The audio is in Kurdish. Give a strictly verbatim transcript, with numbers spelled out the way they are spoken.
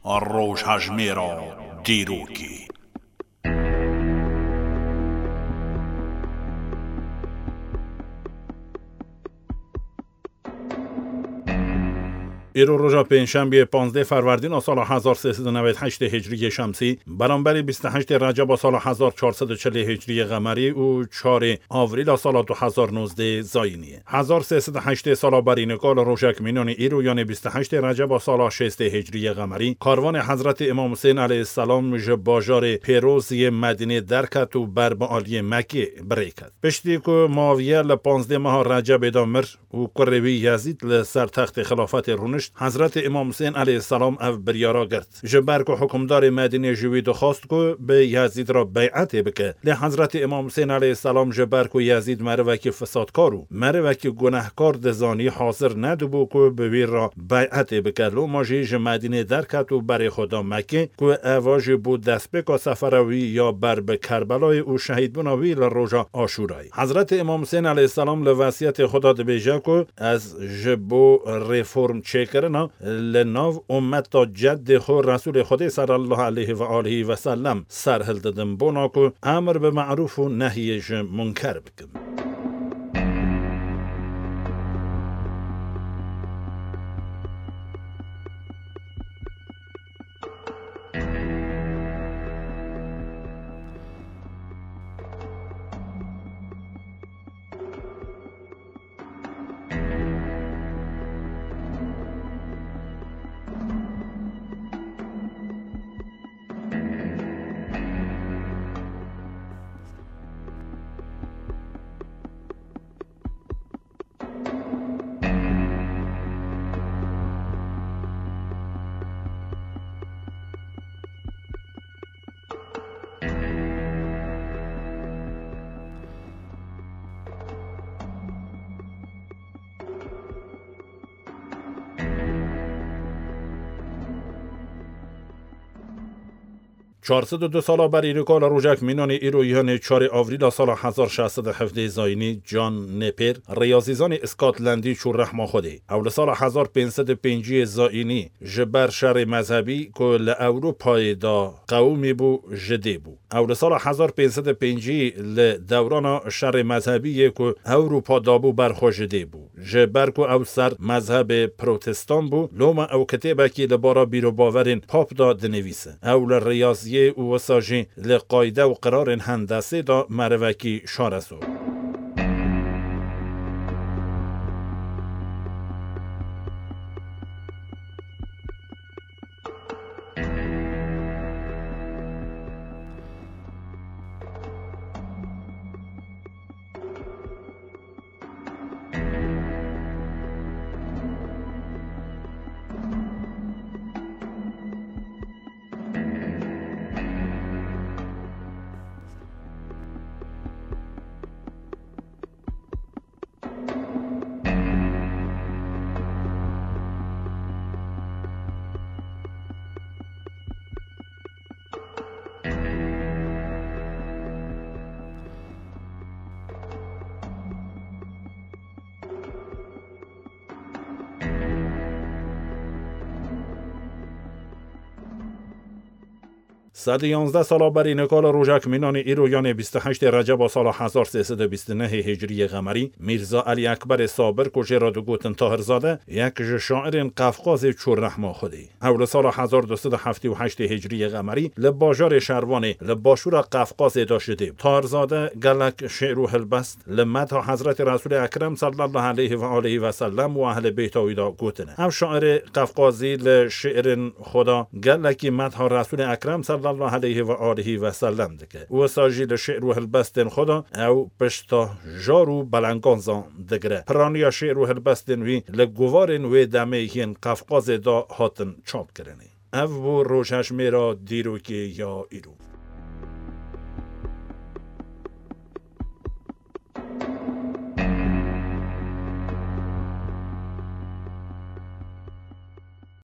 Rojhejmêra dîrokê. Îro roja pêncşembiyê, panzdeh Ferwerdîna sala hezar sê sed û newed heştê Hicriyê Şemsî, beramberî bîst û heştê Receba sala hezar çar sed û çilê Hicriyê Qemerî û çarê Avrîla sala du hezar nozdeh Zayînî. Hezar sê sed û heştê sala berî nika li rojek mînanî îro, yanê bîst û heştê Receba sala şêstê Hicriyê Qemerî, karvanê Hezretî Îmam Husên aleyhisselam ji bajarê pêroz yê Medînê derket û ber bi aliyê Mekkê bi rê ket. Piştî ku Muawiye li panzdeh meha Recebê de mir û kurê wî Yezîd li ser textê xilafetê rûnişt, Hezretî Îmam Husên aleyhisselam ev biryara girt. Ji ber ku hukimdarê Medînê ji wî dixwast ku bi Yezîd re beyetê bike. Lê Hezretî Îmam Husên aleyhisselam ji ber ku Yezîd merivekî fisadkar û merivekî gunehkar dizanî, hazir nedibû ku bi wî re beyetê bike. Loma jî ji Medînê derket û berê xwe da Mekkê, ku eva jî bû destpêka sefera wî ya ber bi Kerbelayê û şehîdbûna wî li roja Aşûrayê. Hezretî Îmam Husên aleyhisselam li vesiyetê xwe de dibêje ku, "Ez ji bo reform çêkirina li nav ummeta ceddê xwe Resûlê Xwedê sallallahu aleyhi ve aleyhi ve sellem ser hildidim, bona ku emir bi me'rûf û nehyê ji munker bikim." Çar sed û du sala berî nika li rojek mînanê îro, yanê çarê Avrîla sala hezar şeş sed û hevdeh Zayînî, John Napier, riyazîzanê Îskotlandî çû rehma Xwedê. Ew li sala hezar pênc sed û pêncî Zayînî ji ber şerê mezhebî ku li Ewropayê de qewimî bû, ji dê bû. Ew li sala hezar pênc sed û pêncî li dewrana şerê mezhebî yê ku Ewropa dabû ber xwe ji dê bû. Ji ber ku ew ser mezhebê protestan bû, loma ew kitêbekî li bara bîrobaverên pap de dinivîse. Ew li riyaziyê û wisa jî li qayde û qirarên hendesê de merivekî şarezo. Sed û yanzdeh sala berî nika li rojek mînanê îro, yanê bîst û heştê Receba sala hezar sê sed û bîst û nehê Hicriyê Qemerî, Mîrza Elî Ekberê Sabir ku jê re digotin Tahirzade, yek ji şairên Qefqazê çû rehma Xwedê. Ew li sala hezar du sed û heftê û heştê Hicriyê Qemerî li bajarê Şervanê li başûra Qefqazê de ji dê bû. Tahirzade gelek şi'r û hilbest li medha Hezretî Resûlê Ekrem sallallahu aleyhi ve aleyhi ve sellem û ehlê beyta wî de gotine. Ev şairê Qefqazî li şi'rên xwe de gelekî medha Resûlê Ekrem sallallahu aleyhi ve aleyhi ve sellem dike. Wisa jî li şi'r û hilbestên xwe de ew pişta jar û belenganzan digire. Piraniya şi'r û hilbestên wî li guvarên wê demê yên Qefqazê de hatin çapkirinê. Ev bû rojhejmêra dîrokê ya îro.